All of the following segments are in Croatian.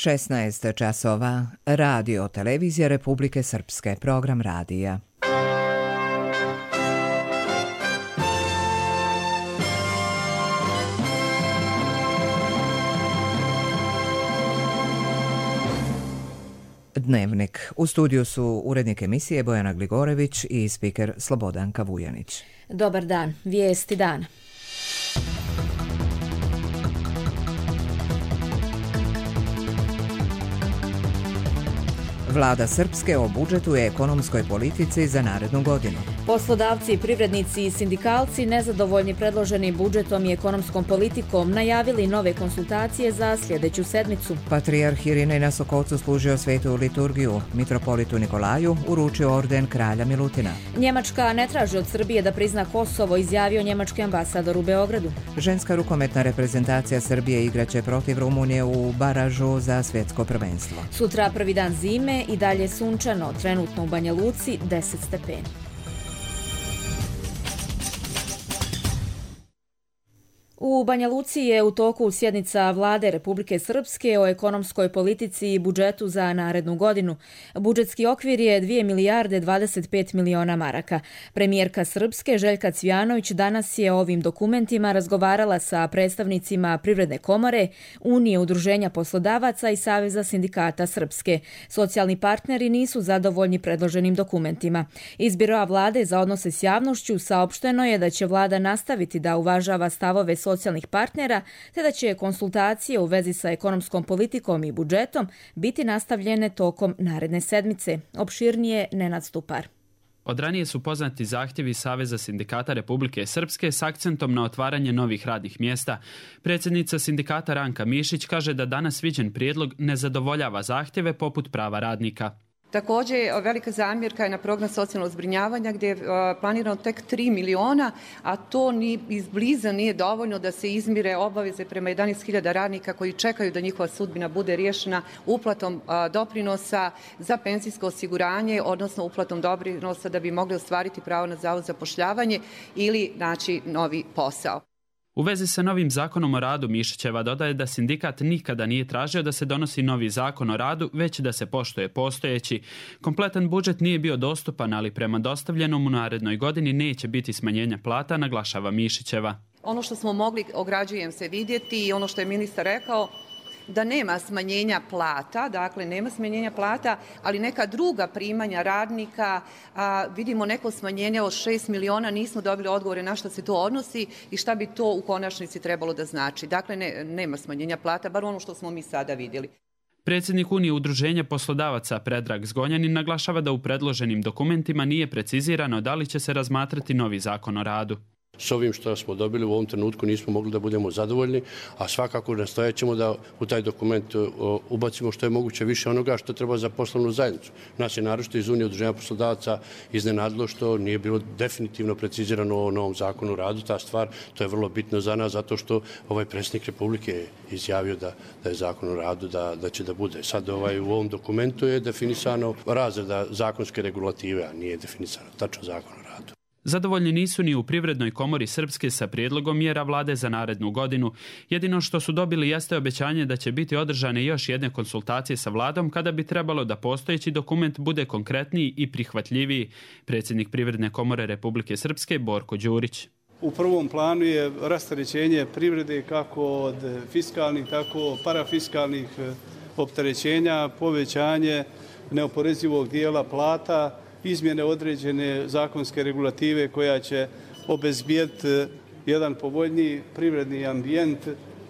16 časova. Radio Televizija Republike Srpske. Program radija. Dnevnik. U studiju su urednik emisije Bojana Gligorević i spiker Slobodanka Vujanić. Dobar dan. Vijesti dana. Vlada Srpske o budžetu i ekonomskoj politici za narednu godinu. Poslodavci, privrednici i sindikalci nezadovoljni predloženim budžetom i ekonomskom politikom najavili nove konsultacije za sljedeću sedmicu. Patrijarh Irinej na Sokocu služio svetu liturgiju. Mitropolitu Nikolaju uručio orden kralja Milutina. Njemačka ne traži od Srbije da prizna Kosovo, izjavio njemački ambasador u Beogradu. Ženska rukometna reprezentacija Srbije igraće protiv Rumunije u baražu za svjetsko prvenstvo. Sutra prvi dan zime i dalje sunčano, trenutno u Banja Luci 10 stepeni. U Banja Luci je u toku sjednica Vlade Republike Srpske o ekonomskoj politici i budžetu za narednu godinu. Budžetski okvir je 2 milijarde 25 miliona maraka. Premijerka Srpske Željka Cvijanović danas je o ovim dokumentima razgovarala sa predstavnicima Privredne komore, Unije udruženja poslodavaca i Saveza sindikata Srpske. Socijalni partneri nisu zadovoljni predloženim dokumentima. Iz Biroa Vlade za odnose s javnošću saopšteno je da će Vlada nastaviti da uvažava stavove socijalnih partnera, te da će konsultacije u vezi sa ekonomskom politikom i budžetom biti nastavljene tokom naredne sedmice. Opširnije Nenad Stupar. Od ranije su poznati zahtjevi Saveza sindikata Republike Srpske s akcentom na otvaranje novih radnih mjesta. Predsjednica sindikata Ranka Mišić kaže da danas viđen prijedlog ne zadovoljava zahtjeve poput prava radnika. Također, velika zamjerka je na program socijalnog zbrinjavanja gdje je planirano tek 3 miliona, a to ni izbliza nije dovoljno da se izmire obaveze prema 11.000 radnika koji čekaju da njihova sudbina bude riješena uplatom doprinosa za penzijsko osiguranje, odnosno uplatom doprinosa da bi mogli ostvariti pravo na zavod za zapošljavanje ili naći novi posao. U vezi sa novim zakonom o radu Mišićeva dodaje da sindikat nikada nije tražio da se donosi novi zakon o radu, već da se poštuje postojeći. Kompletan budžet nije bio dostupan, ali prema dostavljenom u narednoj godini neće biti smanjenja plata, naglašava Mišićeva. Ono što smo mogli, ograđujem se, vidjeti i ono što je ministar rekao, da nema smanjenja plata, dakle nema smanjenja plata, ali neka druga primanja radnika, vidimo neko smanjenje od 6 miliona, nismo dobili odgovore na što se to odnosi i šta bi to u konačnici trebalo da znači. Dakle, nema smanjenja plata, bar ono što smo mi sada vidjeli. Predsjednik Unije udruženja poslodavaca Predrag Zgonjanin naglašava da u predloženim dokumentima nije precizirano da li će se razmatrati novi zakon o radu. S ovim što smo dobili u ovom trenutku nismo mogli da budemo zadovoljni, a svakako nastojat ćemo da u taj dokument ubacimo što je moguće više onoga što treba za poslovnu zajednicu. Nas je naročito iz Unije udruženja poslodavaca iznenadilo što nije bilo definitivno precizirano o novom zakonu o radu. Ta stvar, to je vrlo bitno za nas zato što ovaj predsjednik Republike je izjavio da je zakon o radu da će da bude. Sad u ovom dokumentu je definisano razreda zakonske regulative, a nije definisano tačno zakon o radu. Zadovoljni nisu ni u Privrednoj komori Srpske sa prijedlogom mjera Vlade za narednu godinu. Jedino što su dobili jeste obećanje da će biti održane još jedne konsultacije sa Vladom kada bi trebalo da postojeći dokument bude konkretniji i prihvatljiviji. Predsjednik Privredne komore Republike Srpske Borko Đurić. U prvom planu je rasterećenje privrede kako od fiskalnih, tako parafiskalnih opterećenja, povećanje neoporezivog dijela plata, izmjene određene zakonske regulative koja će obezbijeti jedan povoljniji privredni ambijent.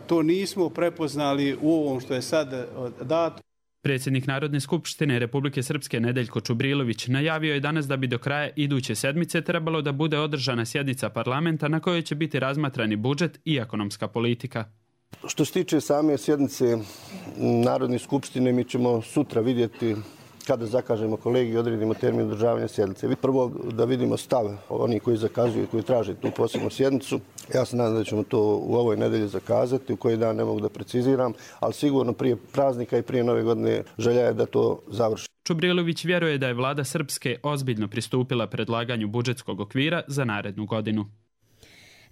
To nismo prepoznali u ovom što je sad dato. Predsjednik Narodne skupštine Republike Srpske Nedeljko Čubrilović najavio je danas da bi do kraja iduće sedmice trebalo da bude održana sjednica parlamenta na kojoj će biti razmatrani budžet i ekonomska politika. Što se tiče same sjednice Narodne skupštine, mi ćemo sutra vidjeti kada zakažemo kolegi i odredimo termin održavanja sjednice. Prvo da vidimo stav oni koji zakazuju i koji traže tu posebnu sjednicu. Ja se nadam da ćemo to u ovoj nedelji zakazati, u koji dan ne mogu da preciziram, ali sigurno prije praznika i prije nove godine želja je da to završi. Čubrilović vjeruje da je vlada Srpske ozbiljno pristupila predlaganju budžetskog okvira za narednu godinu.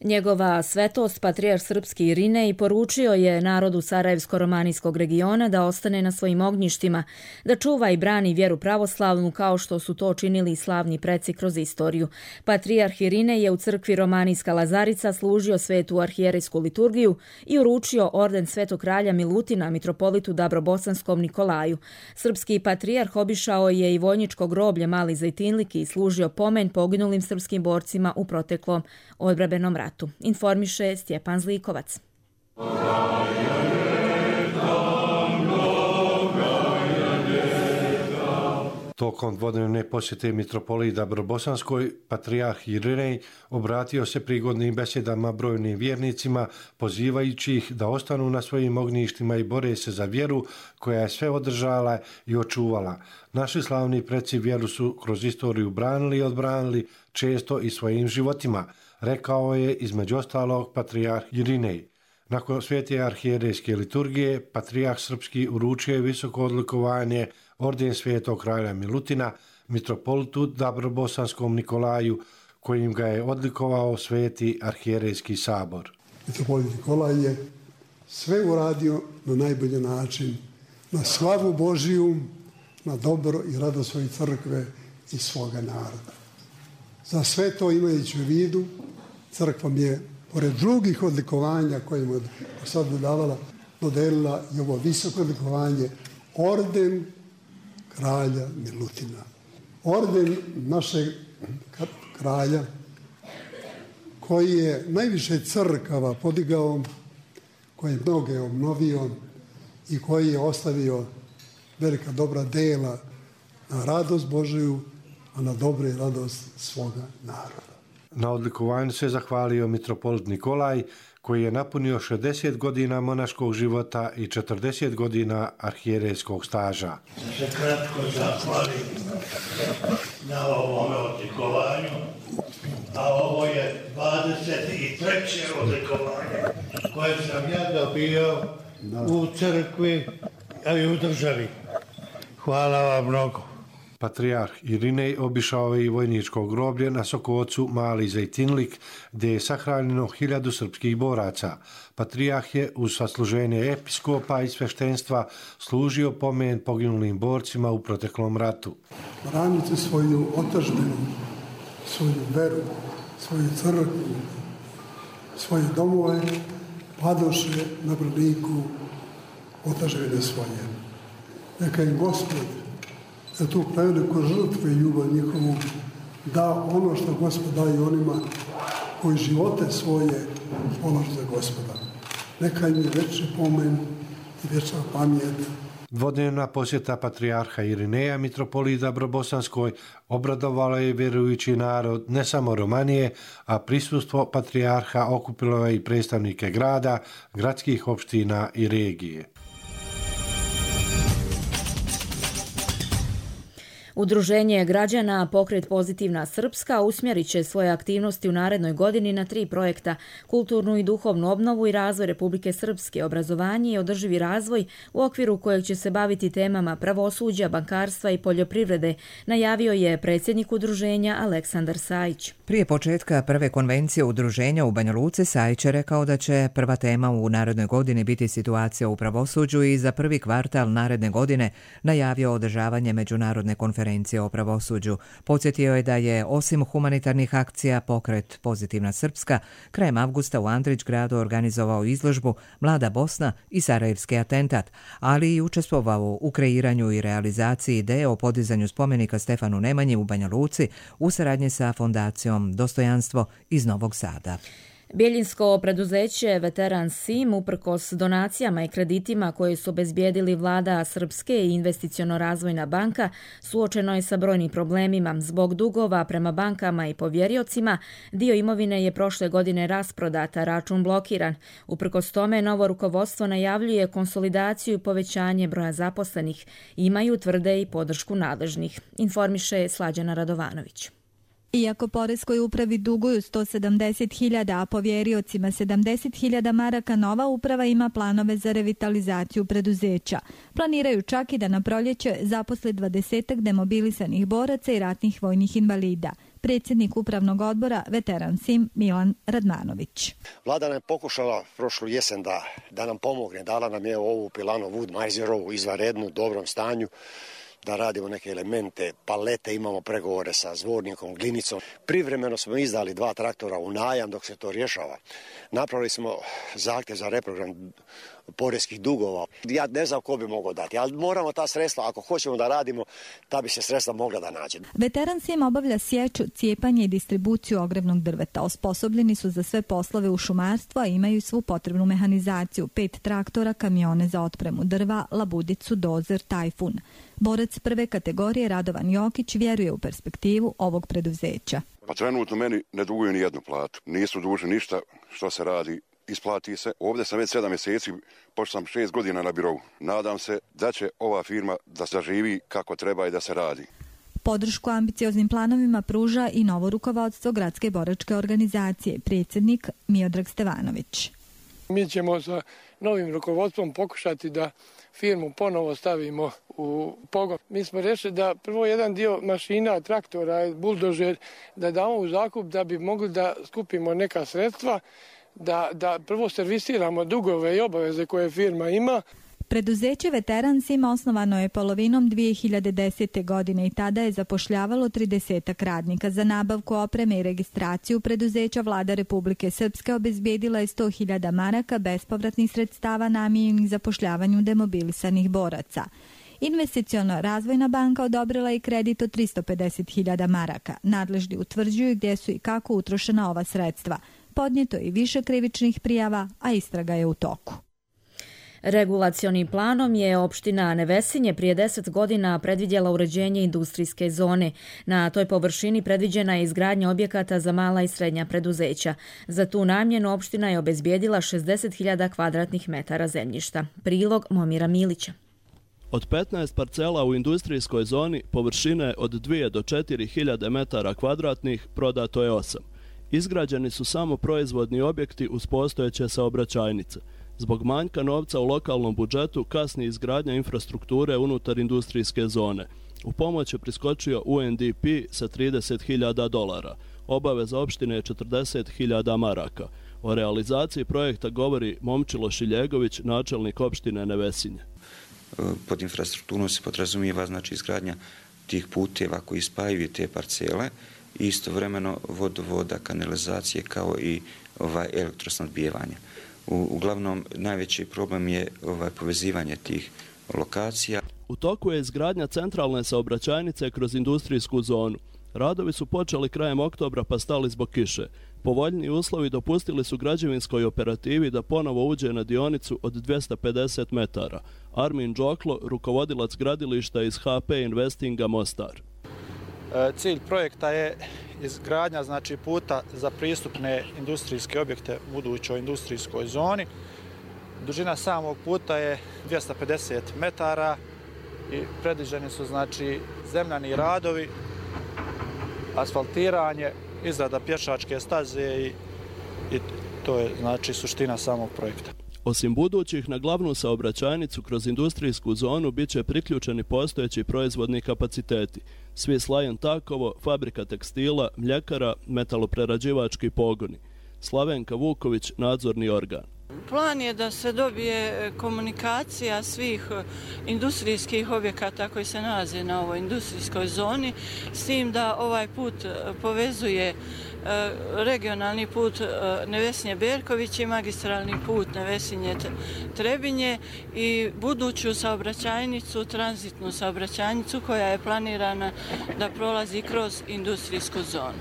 Njegova svetost, patrijarh srpski Irinej, poručio je narodu Sarajevsko-romanijskog regiona da ostane na svojim ognjištima, da čuva i brani vjeru pravoslavnu kao što su to činili i slavni preci kroz istoriju. Patrijarh Irinej je u crkvi Romanijska Lazarica služio svetu arhijerejsku liturgiju i uručio orden Svetog kralja Milutina mitropolitu Dabrobosanskom Nikolaju. Srpski patrijarh obišao je i vojničko groblje Mali Zejtinlik i služio pomen poginulim srpskim borcima u proteklom odbrambenom ratu. Informiše Stjepan Zlikovac. Tokom dvodnevne posjete mitropoliji Dabrobosanskoj, patrijarh Irinej obratio se prigodnim besedama brojnim vjernicima, pozivajući ih da ostanu na svojim ognjištima i bore se za vjeru koja je sve održala i očuvala. Naši slavni preci vjeru su kroz istoriju branili i odbranili, često i svojim životima, rekao je između ostalog patrijarh Irinej. Nakon svete arhijerejske liturgije, patrijarh srpski uručio je visoko odlikovanje orden Svetog kralja Milutina mitropolitu Dabrobosanskom Nikolaju, kojim ga je odlikovao sveti arhijerejski sabor. Mitropolit Nikolaj je sve uradio na najbolji način, na slavu Božiju, na dobro i radost svoje crkve i svoga naroda. Za sve to imajući u vidu, crkva mi je, pored drugih odlikovanja koje mu je sad dodelila i ovo visoko odlikovanje, orden kralja Milutina. Orden našeg kralja koji je najviše crkava podigao, koji je mnoge obnovio i koji je ostavio velika dobra dela na radost Božiju, a na dobro i radost svoga naroda. Na odlikovanju se zahvalio mitropolit Nikolaj, koji je napunio 60 godina monaškog života i 40 godina arhijerejskog staža. Da se kratko zahvalim na ovome odlikovanju, a ovo je 23. odlikovanje koje sam ja dobio u crkvi, a i u državi. Hvala vam mnogo. Patrijarh Irinej obišao je i vojničko groblje na Sokocu Mali Zejtinlik, gdje je sahranjeno 1000 srpskih boraca. Patrijarh je uz sasluženje episkopa i sveštenstva služio pomen poginulim borcima u proteklom ratu. Branite svoju otadžbinu, svoju veru, svoju crkvu, svoje domove, padoše na braniku otadžbine svoje. Neka im Gospod za tu preveliku žrtvu i ljubav njihovu da ono što Gospod daje onima koji živote svoje polažu za Gospoda. Neka im je večni pomen i večna pamjet. Dvodnevna posjeta patrijarha Irineja mitropoliji Dabrobosanskoj obradovala je vjerujući narod ne samo Romanije, a prisustvo patrijarha okupilo je i predstavnike grada, gradskih opština i regije. Udruženje građana Pokret Pozitivna Srpska usmjerit će svoje aktivnosti u narednoj godini na 3 projekta: kulturnu i duhovnu obnovu i razvoj Republike Srpske, obrazovanje i održivi razvoj, u okviru kojeg će se baviti temama pravosuđa, bankarstva i poljoprivrede, najavio je predsjednik udruženja Aleksandar Sajić. Prije početka prve konvencije udruženja u Banja Luci, Sajić je rekao da će prva tema u narednoj godini biti situacija u pravosuđu i za prvi kvartal naredne godine najavio održavanje međunarodne konferencije o pravosuđu. Podsjetio je da je osim humanitarnih akcija Pokret Pozitivna Srpska krajem avgusta u Andrićgradu organizovao izložbu Mlada Bosna i Sarajevski atentat, ali i učestvovao u kreiranju i realizaciji ideje o podizanju spomenika Stefanu Nemanji u Banja Luci u saradnji sa fondacijom Dostojanstvo iz Novog Sada. Bjeljinsko preduzeće Veteran Sim, uprkos donacijama i kreditima koje su obezbijedili vlada Srpske i investiciono-razvojna banka, suočeno je sa brojnim problemima. Zbog dugova prema bankama i povjeriocima, dio imovine je prošle godine rasprodata, račun blokiran. Uprkos tome, novo rukovodstvo najavljuje konsolidaciju i povećanje broja zaposlenih. Imaju, tvrde, i podršku nadležnih. Informiše Slađana Radovanović. Iako poreskoj upravi duguju 170.000, a povjeriocima 70.000 maraka, nova uprava ima planove za revitalizaciju preduzeća. Planiraju čak i da na proljeće zaposle 20 demobilisanih boraca i ratnih vojnih invalida. predsjednik upravnog odbora Veteran Sim Milan Radmanović. Vlada nam je pokušala prošlu jesen da nam pomogne. Dala nam je ovu pilanu Wood-Meiserovu izvanrednu, u dobrom stanju, da radimo neke elemente, palete, imamo pregovore sa Zvornikom, Glinicom. Privremeno smo izdali 2 traktora u najam dok se to rješava. Napravili smo zahtjev za reprogram poreskih dugova. Ja ne znam ko bi mogao dati, ali moramo ta sredstva, ako hoćemo da radimo, ta bi se sredstva mogla da nađe. Veteran Sim obavlja sječu, cijepanje i distribuciju ogrevnog drveta. Osposobljeni su za sve poslove u šumarstvu, a imaju svu potrebnu mehanizaciju, 5 traktora, kamione za otpremu drva, labudicu, dozer, tajfun. Borac prve kategorije Radovan Jokić vjeruje u perspektivu ovog preduzeća. Pa trenutno meni ne duguju ni jednu platu. Nisu dužni ništa što se radi. Isplati se. Ovdje sam već 7 mjeseci, pošto sam 6 godina na birovu. Nadam se da će ova firma da zaživi kako treba i da se radi. Podršku ambicioznim planovima pruža i novo rukovodstvo Gradske boračke organizacije, predsjednik Miodrag Stevanović. Mi ćemo sa novim rukovodstvom pokušati da firmu ponovo stavimo u pogon. Mi smo rešili da prvo jedan dio mašina, traktora, buldožer, da damo u zakup da bi mogli da skupimo neka sredstva, da prvo servisiramo dugove i obaveze koje firma ima. Preduzeće Veteran Sim osnovano je polovinom 2010. godine i tada je zapošljavalo 30 radnika. Za nabavku opreme i registraciju preduzeća Vlada Republike Srpske obezbijedila je 100.000 maraka bespovratnih sredstava namijenjenih zapošljavanju demobilisanih boraca. Investiciono razvojna banka odobrila je kredit od 350.000 maraka. Nadležni utvrđuju gdje su i kako utrošena ova sredstva. Podnijeto je i više krivičnih prijava, a istraga je u toku. Regulacionim planom je opština Nevesinje prije 10 godina predvidjela uređenje industrijske zone. Na toj površini predviđena je izgradnja objekata za mala i srednja preduzeća. Za tu namjenu opština je obezbijedila 60.000 kvadratnih metara zemljišta. Prilog Momira Milića. Od 15 parcela u industrijskoj zoni površine od 2 do 4.000 metara kvadratnih prodato je 8. Izgrađeni su samo proizvodni objekti uz postojeće saobraćajnice. Zbog manjka novca u lokalnom budžetu kasni izgradnja infrastrukture unutar industrijske zone. U pomoć je priskočio UNDP sa $30.000. Obaveza opštine je 40.000 maraka. O realizaciji projekta govori Momčilo Šiljegović, načelnik opštine Nevesinje. Pod infrastrukturom se podrazumijeva znači izgradnja tih puteva koji spajaju te parcele i istovremeno vodovoda, kanalizacije kao i elektrosnabdijevanje. Uglavnom, najveći problem je povezivanje tih lokacija. U toku je izgradnja centralne saobraćajnice kroz industrijsku zonu. Radovi su počeli krajem oktobra pa stali zbog kiše. Povoljni uslovi dopustili su građevinskoj operativi da ponovo uđe na dionicu od 250 metara. Armin Džoklo, rukovodilac gradilišta iz HP Investinga Mostar. Cilj projekta je izgradnja znači puta za pristupne industrijske objekte u budućoj industrijskoj zoni. Dužina samog puta je 250 metara i predviđeni su znači zemljani radovi, asfaltiranje, izrada pješačke staze i to je znači suština samog projekta. Osim budućih, na glavnu saobraćajnicu kroz industrijsku zonu bit će priključeni postojeći proizvodni kapaciteti. Svis Lion Takovo, fabrika tekstila, mljekara, metaloprerađivački pogoni. Slavenka Vuković, nadzorni organ. Plan je da se dobije komunikacija svih industrijskih objekata koji se nalaze na ovoj industrijskoj zoni, s tim da ovaj put povezuje regionalni put Nevesinje-Berković i magistralni put Nevesinje-Trebinje i buduću saobraćajnicu, tranzitnu saobraćajnicu koja je planirana da prolazi kroz industrijsku zonu.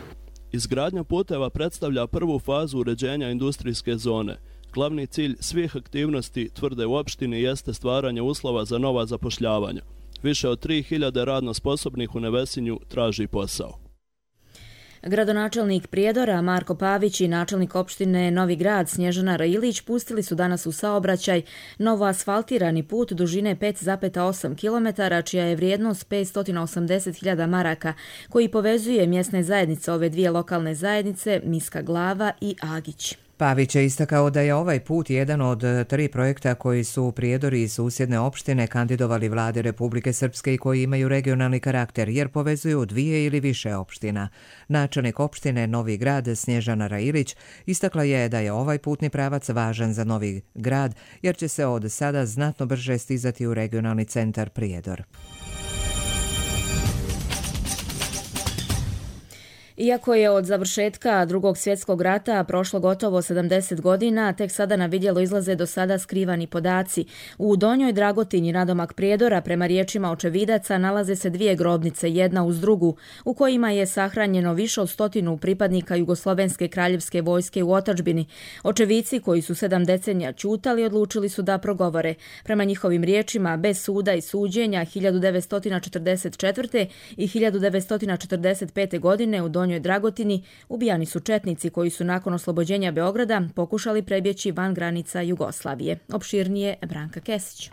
Izgradnja puteva predstavlja prvu fazu uređenja industrijske zone. Glavni cilj svih aktivnosti, tvrde u opštini, jeste stvaranje uslova za nova zapošljavanja. Više od 3.000 radno sposobnih u Nevesinju traži posao. Gradonačelnik Prijedora Marko Pavić i načelnik opštine Novi Grad Snježana Railić pustili su danas u saobraćaj novo asfaltirani put dužine 5,8 km, čija je vrijednost 580.000 maraka, koji povezuje mjesne zajednice ove dvije lokalne zajednice, Miska Glava i Agić. Pavić je istakao da je ovaj put jedan od 3 projekta koji su Prijedori i susjedne opštine kandidovali vlade Republike Srpske i koji imaju regionalni karakter jer povezuju 2 ili više opština. Načelnik opštine Novi Grad Snježana Railić istakla je da je ovaj putni pravac važan za Novi Grad jer će se od sada znatno brže stizati u regionalni centar Prijedor. Iako je od završetka Drugog svjetskog rata prošlo gotovo 70 godina, tek sada na vidjelo izlaze do sada skrivani podaci. U Donjoj Dragotinji nadomak Prijedora, prema riječima očevidaca, nalaze se 2 grobnice, jedna uz drugu, u kojima je sahranjeno više od 100 pripadnika Jugoslovenske kraljevske vojske u otadžbini. Očevici, koji su 7 decenija ćutali, odlučili su da progovore. Prema njihovim riječima, bez suda i suđenja 1944. i 1945. godine u Donjoj Dragotini ubijani su četnici koji su nakon oslobođenja Beograda pokušali prebjeći van granica Jugoslavije. Opširnije Branka Kesić.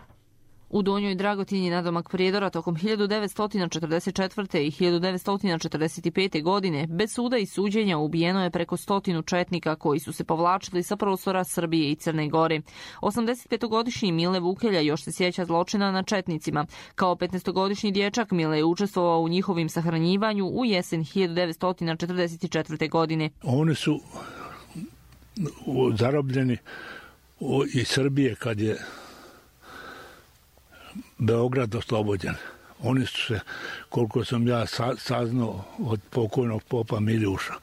U Donjoj Dragotini nadomak Prijedora tokom 1944. i 1945. godine bez suda i suđenja ubijeno je preko 100 četnika koji su se povlačili sa prostora Srbije i Crne Gore. 85-godišnji Mile Vukelja još se sjeća zločina na četnicima. Kao 15-godišnji dječak Mile je učestvovao u njihovim sahranjivanju u jesen 1944. godine. Oni su zarobljeni iz Srbije kad je Beograd oslobođen. Oni su se, koliko sam ja saznao od pokojnog popa Miljuša,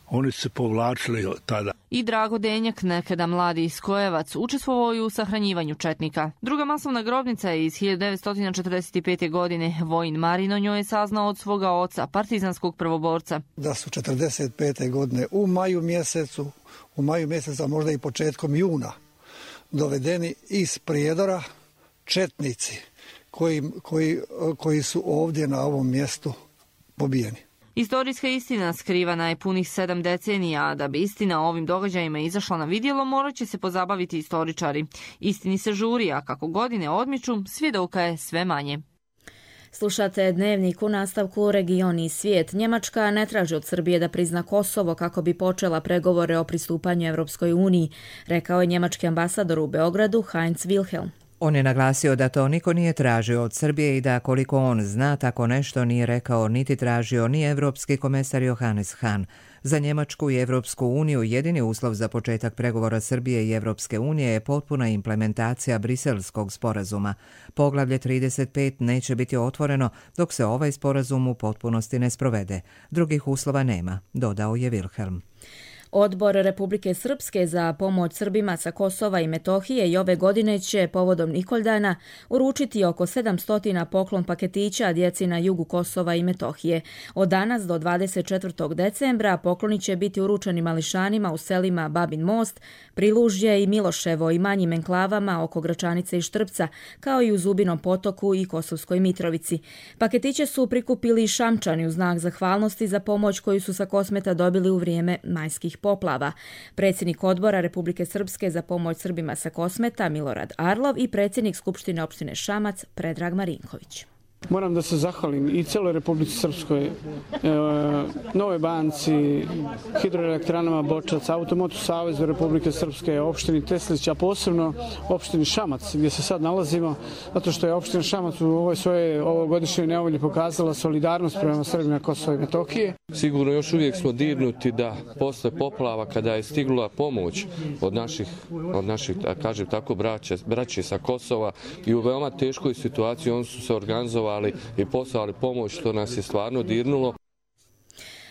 oni su se povlačili od tada. I Drago Denjak, nekada mladi Iskojevac, učestvovao je u sahranjivanju četnika. Druga masovna grobnica je iz 1945. godine. Vojin Marin o njoj je saznao od svoga oca, partizanskog prvoborca. Da su 45. godine u maju mjeseca, možda i početkom juna, dovedeni iz Prijedora četnici koji su ovdje na ovom mjestu pobijeni. Istorijska istina skrivana je punih 7 decenija, a da bi istina o ovim događajima izašla na vidjelo, morat će se pozabaviti istoričari. Istini se žuri, a kako godine odmiču, svjedoka je sve manje. Slušate Dnevnik u nastavku Region i svijet. Njemačka ne traži od Srbije da prizna Kosovo kako bi počela pregovore o pristupanju Evropskoj uniji, rekao je njemački ambasador u Beogradu Heinz Wilhelm. On je naglasio da to niko nije tražio od Srbije i da koliko on zna tako nešto nije rekao niti tražio ni evropski komesar Johannes Hahn. Za Njemačku i Evropsku uniju jedini uslov za početak pregovora Srbije i Evropske unije je potpuna implementacija Briselskog sporazuma. Poglavlje 35 neće biti otvoreno dok se ovaj sporazum u potpunosti ne sprovede. Drugih uslova nema, dodao je Wilhelm. Odbor Republike Srpske za pomoć Srbima sa Kosova i Metohije i ove godine će povodom Nikoldana uručiti oko 700 poklon paketića djeci na jugu Kosova i Metohije. Od danas do 24. decembra pokloni će biti uručeni mališanima u selima Babin Most, Prilužje i Miloševo i manjim enklavama oko Gračanice i Štrpca, kao i u Zubinom potoku i Kosovskoj Mitrovici. Paketiće su prikupili i Šamčani u znak zahvalnosti za pomoć koju su sa Kosmeta dobili u vrijeme majskih poplava. Predsjednik odbora Republike Srpske za pomoć Srbima sa Kosmeta Milorad Arlov i predsjednik Skupštine opštine Šamac Predrag Marinković. Moram da se zahvalim i cijeloj Republici Srpskoj, Novoj banci, hidroelektranama Bočac, Automotu savezu Republike Srpske, opštini Teslić, a posebno opštini Šamac, gdje se sad nalazimo, zato što je opština Šamac u ovoj svojoj ovogodišnjoj nevolji pokazala solidarnost prema Srbima Kosova i Metohije. Sigurno još uvijek smo dirnuti da posle poplava, kada je stigla pomoć od naših kažem tako, braće sa Kosova i u veoma teškoj situaciji, oni su se organizovali i poslali pomoć, što nas je stvarno dirnulo.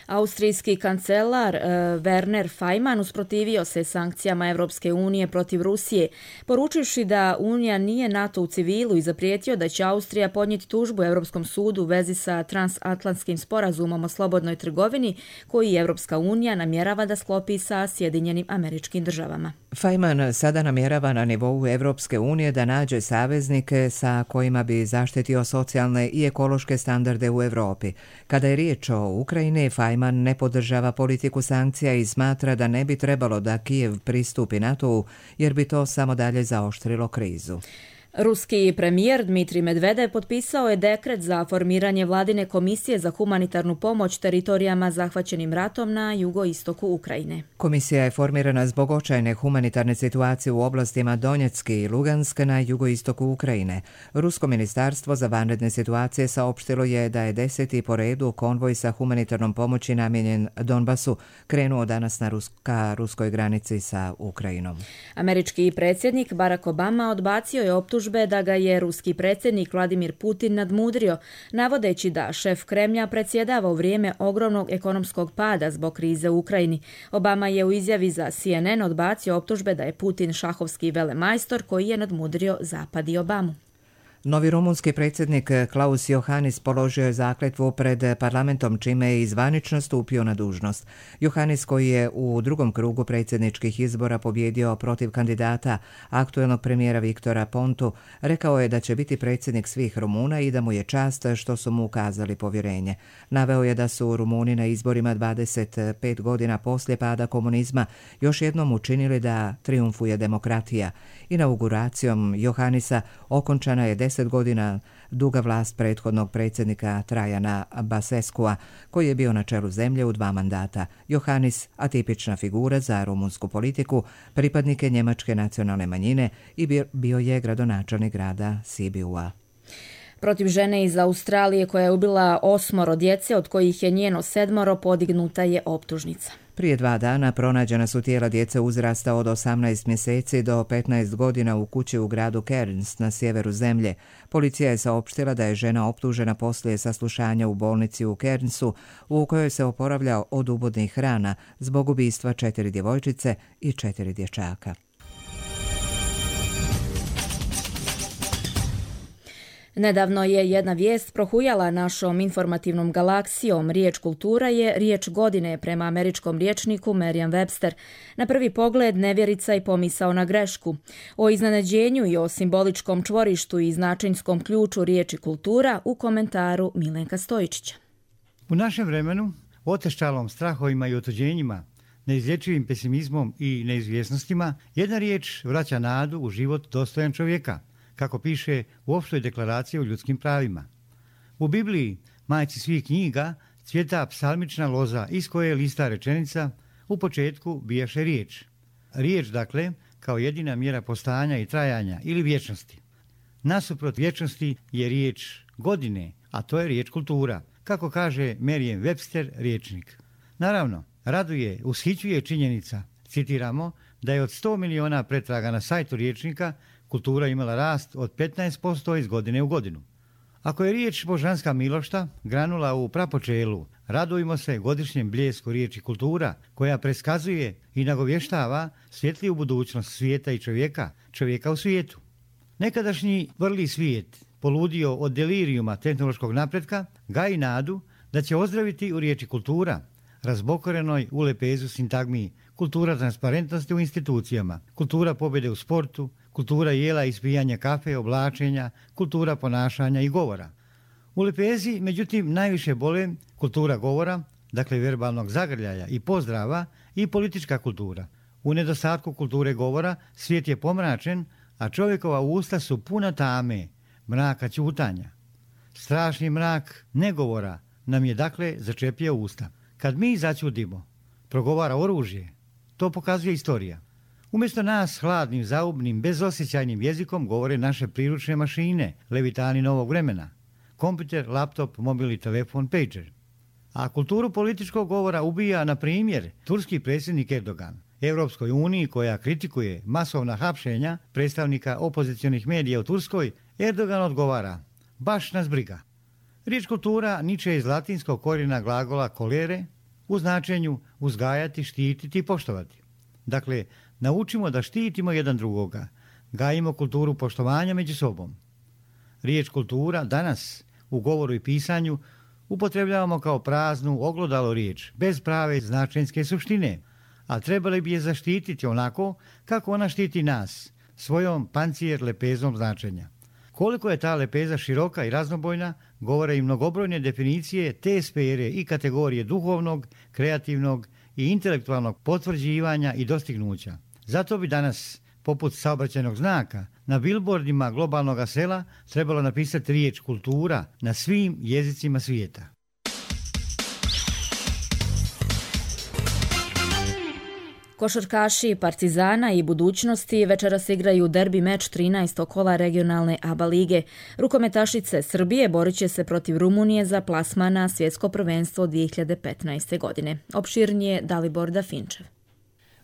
Austrijski kancelar Werner Faymann usprotivio se sankcijama Evropske unije protiv Rusije, poručivši da Unija nije NATO u civilu i zaprijetio da će Austrija podnijeti tužbu Europskom sudu u vezi sa transatlantskim sporazumom o slobodnoj trgovini koji Evropska unija namjerava da sklopi sa Sjedinjenim Američkim Državama. Faymann sada namjerava na nivou Evropske unije da nađe saveznike sa kojima bi zaštitio socijalne i ekološke standarde u Europi. Kada je riječ o Ukrajini, Faymann ne podržava politiku sankcija i smatra da ne bi trebalo da Kijev pristupi NATO-u jer bi to samo dalje zaoštrilo krizu. Ruski premijer Dmitrij Medvedev potpisao je dekret za formiranje vladine komisije za humanitarnu pomoć teritorijama zahvaćenim ratom na jugoistoku Ukrajine. Komisija je formirana zbog očajne humanitarne situacije u oblastima Donjecki i Lugansk na jugoistoku Ukrajine. Rusko ministarstvo za vanredne situacije saopštilo je da je 10. po redu konvoj sa humanitarnom pomoći namijenjen Donbasu krenuo danas ka ruskoj granici sa Ukrajinom. Američki predsjednik Barack Obama odbacio je optužbe da ga je ruski predsjednik Vladimir Putin nadmudrio, navodeći da šef Kremlja predsjedava u vrijeme ogromnog ekonomskog pada zbog krize u Ukrajini. Obama je u izjavi za CNN odbacio optužbe da je Putin šahovski velemajstor koji je nadmudrio Zapad i Obamu. Novi rumunski predsjednik Klaus Iohannis položio je zakletvu pred parlamentom, čime je zvanično stupio na dužnost. Iohannis, koji je u drugom krugu predsjedničkih izbora pobjedio protiv kandidata aktuelnog premijera Viktora Pontu, rekao je da će biti predsjednik svih Rumuna i da mu je čast što su mu ukazali povjerenje. Naveo je da su Rumuni na izborima 25 godina poslije pada komunizma još jednom učinili da triumfuje demokratija. Inauguracijom Iohannisa okončana je 10 godina duga vlast prethodnog predsjednika Trajana Baseskua, koji je bio na čelu zemlje u 2 mandata. Iohannis, atipična figura za rumunsku politiku, pripadnik je njemačke nacionalne manjine i bio je gradonačelnik grada Sibiua. Protiv žene iz Australije koja je ubila 8 djece, od kojih je njeno 7, podignuta je optužnica. Prije 2 dana pronađena su tijela djece uzrasta od 18 mjeseci do 15 godina u kući u gradu Cairns na sjeveru zemlje. Policija je saopštila da je žena optužena poslije saslušanja u bolnici u Cairnsu, u kojoj se oporavlja od ubodnih rana zbog ubistva 4 djevojčice i 4 dječaka. Nedavno je jedna vijest prohujala našom informativnom galaksijom. Riječ kultura je riječ godine prema američkom rječniku Merriam-Webster. Na prvi pogled nevjerica i pomisao na grešku. O iznenađenju i o simboličkom čvorištu i značenjskom ključu riječi kultura u komentaru Milenka Stojičića. U našem vremenu, oteščalom strahovima i otuđenjima, neizlječivim pesimizmom i neizvjesnostima, jedna riječ vraća nadu u život dostojan čovjeka, kako piše u Opštoj deklaraciji o ljudskim pravima. U Bibliji, majci svih knjiga, cvjeta psalmična loza iz koje lista rečenica u početku bijaše riječ. Riječ, dakle, kao jedina mjera postojanja i trajanja ili vječnosti. Nasuprot vječnosti je riječ godine, a to je riječ kultura, kako kaže Merriam-Webster rječnik. Naravno, raduje, ushićuje činjenica, citiramo, da je od 100 miliona pretraga na sajtu rječnika kultura imala rast od 15% iz godine u godinu. Ako je riječ božanska milošta granula u prapočelu, radujmo se godišnjem bljesku riječi kultura, koja preskazuje i nagovještava svjetliju budućnost svijeta i čovjeka u svijetu. Nekadašnji vrli svijet, poludio od delirijuma tehnološkog napretka, gaji nadu da će ozdraviti u riječi kultura, razbokorenoj u lepezu sintagmi kultura transparentnosti u institucijama, kultura pobjede u sportu, kultura jela i ispijanja kafe, oblačenja, kultura ponašanja i govora. U lepezi, međutim, najviše bole kultura govora, dakle verbalnog zagrljaja i pozdrava, i politička kultura. U nedostatku kulture govora svijet je pomračen, a čovjekova usta su puna tame, mraka ćutanja. Strašni mrak negovora nam je dakle začepio usta. Kad mi začudimo, progovara oružje, to pokazuje istorija. Umjesto nas hladnim, zaubnim, bezosjećajnim jezikom govore naše priručne mašine, levitani novog vremena, kompjuter, laptop, mobilni telefon, pager. A kulturu političkog govora ubija, na primjer, turski predsjednik Erdogan. Europskoj uniji, koja kritikuje masovna hapšenja predstavnika opozicionih medija u Turskoj, Erdogan odgovara: baš nas briga. Riječ kultura niče iz latinskog korijena glagola kolere u značenju uzgajati, štititi i poštovati. Dakle, naučimo da štitimo jedan drugoga, gajimo kulturu poštovanja među sobom. Riječ kultura danas u govoru i pisanju upotrebljavamo kao praznu, oglodalo riječ, bez prave značenjske suštine, a trebali bi je zaštititi onako kako ona štiti nas, svojom pancijer lepezom značenja. Koliko je ta lepeza široka i raznobojna, govore i mnogobrojne definicije te sfere i kategorije duhovnog, kreativnog i intelektualnog potvrđivanja i dostignuća. Zato bi danas poput saobraćajnog znaka, na bilbordima globalnog sela trebalo napisati riječ kultura na svim jezicima svijeta. Košarkaši Partizana i Budućnosti večeras igraju derbi meč 13. kola regionalne ABA lige. Rukometašice Srbije borit će se protiv Rumunije za plasman na svjetsko prvenstvo 2015. godine. Opširnije Dalibor Dafinčev.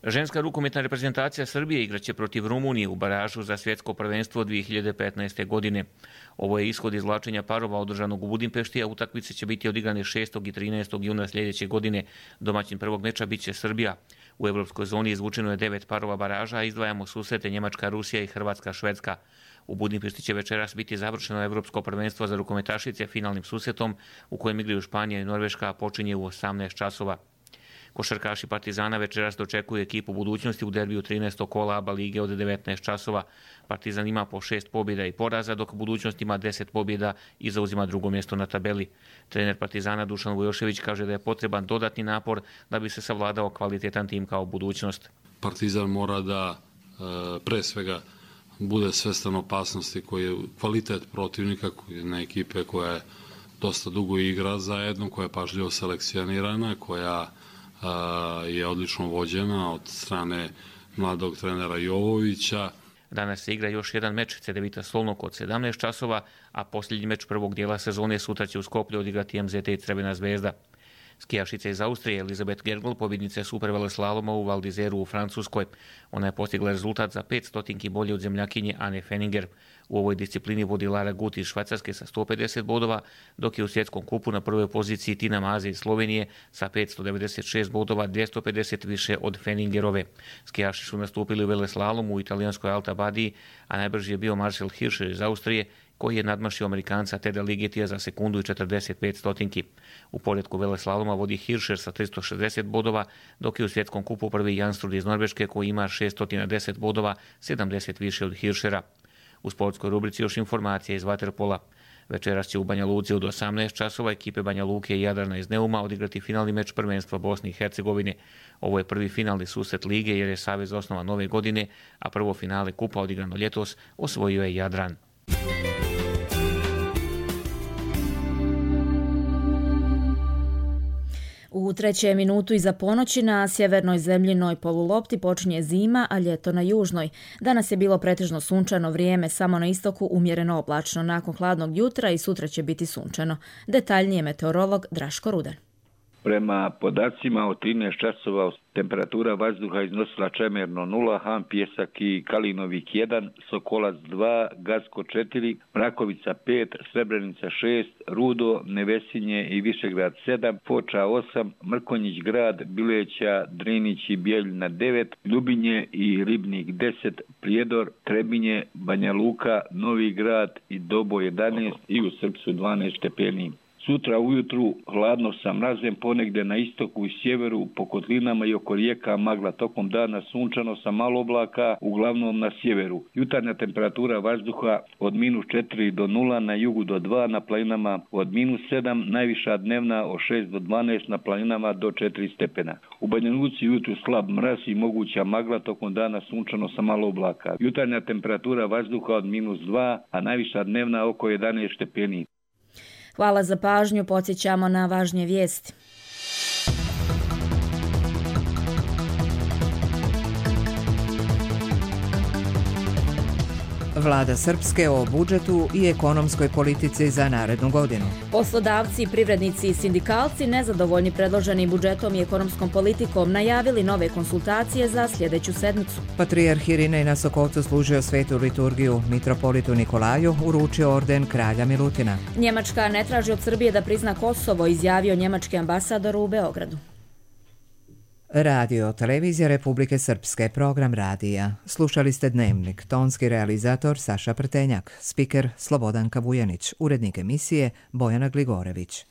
Ženska rukometna reprezentacija Srbije igraće protiv Rumunije u baražu za svjetsko prvenstvo 2015. godine. Ovo je ishod izvlačenja parova održanog u Budimpešti, a utakmice će biti odigrane 6. i 13. juna sljedeće godine. Domaćin prvog meča bit će Srbija. U evropskoj zoni izvučeno je 9 parova baraža, a izdvajamo susrete Njemačka, Rusija i Hrvatska, Švedska. U Budimpešti će večeras biti završeno evropsko prvenstvo za rukometašice finalnim susretom u kojem igraju Španija i Norveška, a počinje u 18 časova. Košarkaši Partizana večeras dočekuju ekipu Budućnosti u derbiju 13. kola ABA lige od 19 časova. Partizan ima po 6 pobjeda i poraza, dok Budućnost ima 10 pobjeda i zauzima drugo mjesto na tabeli. Trener Partizana Dušan Vujošević kaže da je potreban dodatni napor da bi se savladao kvalitetan tim kao Budućnost. Partizan mora da pre svega bude svestan opasnosti koji je kvalitet protivnika, jedna ekipe koja je dosta dugo igra zajedno, koja je pažljivo selekcionirana, koja je odlično vođena od strane mladog trenera Jovovića. Danas se igra još jedan meč Cedevita Solnok od 17 časova, a posljednji meč prvog dijela sezone sutra će u Skoplju odigrati MZT i Crvena zvezda. Skijašica iz Austrije Elizabeth Gergel pobjednica superveleslaloma u Val d'Izeru u Francuskoj. Ona je postigla rezultat za 500 bolje od zemljakinje Anne Fenninger. U ovoj disciplini vodi Lara Gut iz Švajcarske sa 150 bodova, dok je u svjetskom kupu na prvoj poziciji Tina Maze iz Slovenije sa 596 bodova, 250 više od Fenningerove. Skijaši su nastupili u veleslalomu u italijanskoj Alta Badiji, a najbrži je bio Marcel Hirscher iz Austrije, koji je nadmašio Amerikanca Teda Ligetija za sekundu i 45 stotinki. U poredku veleslaloma vodi Hirscher sa 360 bodova, dok je u svjetskom kupu prvi Janstrud iz Norveške koji ima 610 bodova, 70 više od Hirschera. U sportskoj rubrici još informacija iz vaterpola. Večeras će u Banja Luci od 18 časova ekipe Banja Luke i Jadrana iz Neuma odigrati finalni meč prvenstva Bosne i Hercegovine. Ovo je prvi finalni susret lige jer je savez osnovan nove godine, a prvo finale kupa odigrano ljetos osvojio je Jadran. U 3. minutu iza ponoći na sjevernoj zemljinoj polulopti počinje zima, a ljeto na južnoj. Danas je bilo pretežno sunčano vrijeme, samo na istoku umjereno oblačno. Nakon hladnog jutra i sutra će biti sunčano. Detaljnije meteorolog Draško Rudan. Prema podacima od 13 časova temperatura vazduha iznosila čemerno 0, Han, Pjesak i Kalinovik 1, Sokolac 2, Gacko 4, Mrakovica 5, Srebrenica 6, Rudo, Nevesinje i Višegrad 7, Foča 8, Mrkonjić grad, Bileća, Drinić i Bijeljina 9, Ljubinje i Ribnik 10, Prijedor, Trebinje, Banja Luka, Novi grad i Dobo 11 i u Srpsu 12 stepeni. Sutra ujutru hladno sa mrazem, ponegdje na istoku i sjeveru, po kotlinama i oko rijeka magla, tokom dana sunčano sa malo oblaka, uglavnom na sjeveru. Jutarnja temperatura vazduha od -4 do 0, na jugu do 2, na planinama od -7, najviša dnevna od 6 do 12, na planinama do 4 stepena. U Banja Luci jutru slab mraz i moguća magla, tokom dana sunčano sa malo oblaka. Jutarnja temperatura vazduha od -2, a najviša dnevna oko 11 stepeni. Hvala za pažnju, podsjećamo na važnije vijesti. Vlada Srpske o budžetu i ekonomskoj politici za narednu godinu. Poslodavci, privrednici i sindikalci nezadovoljni predloženim budžetom i ekonomskom politikom najavili nove konsultacije za sljedeću sedmicu. Patrijarh Irinej na Sokolcu služio svetu liturgiju, mitropolitu Nikolaju uručio orden kralja Milutina. Njemačka ne traži od Srbije da prizna Kosovo, izjavio njemački ambasador u Beogradu. Radio Televizija Republike Srpske, program radija. Slušali ste Dnevnik, tonski realizator Saša Prtenjak, spiker Slobodanka Vujanić, urednik emisije Bojana Gligorević.